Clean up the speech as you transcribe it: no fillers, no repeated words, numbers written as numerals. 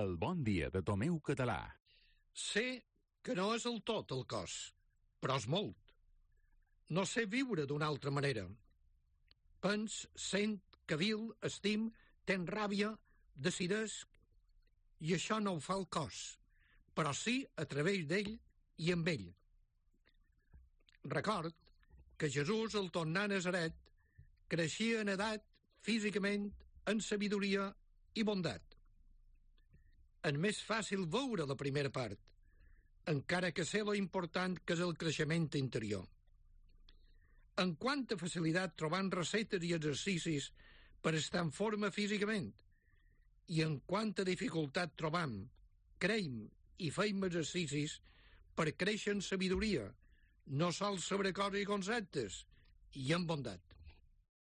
El bon dia de Tomeu Català. Sé que no és el tot el cos, però és molt. No sé viure d'una altra manera. Pens, sent, cavil, estim, ten ràbia, decidesc, i això no ho fa el cos, però sí a través d'ell i amb ell. Record que Jesús, al tornar a Nazaret, creixia en edat, físicament, en sabidoria i bondat. És més fàcil veure la primera part, encara que sé lo important que és el creixement interior. En quanta facilitat trobant recetes i exercicis per estar en forma físicament, i en quanta dificultat trobam, creiem i feim exercicis per créixer en sabidoria, no sols sobre coses i conceptes, i en bondat.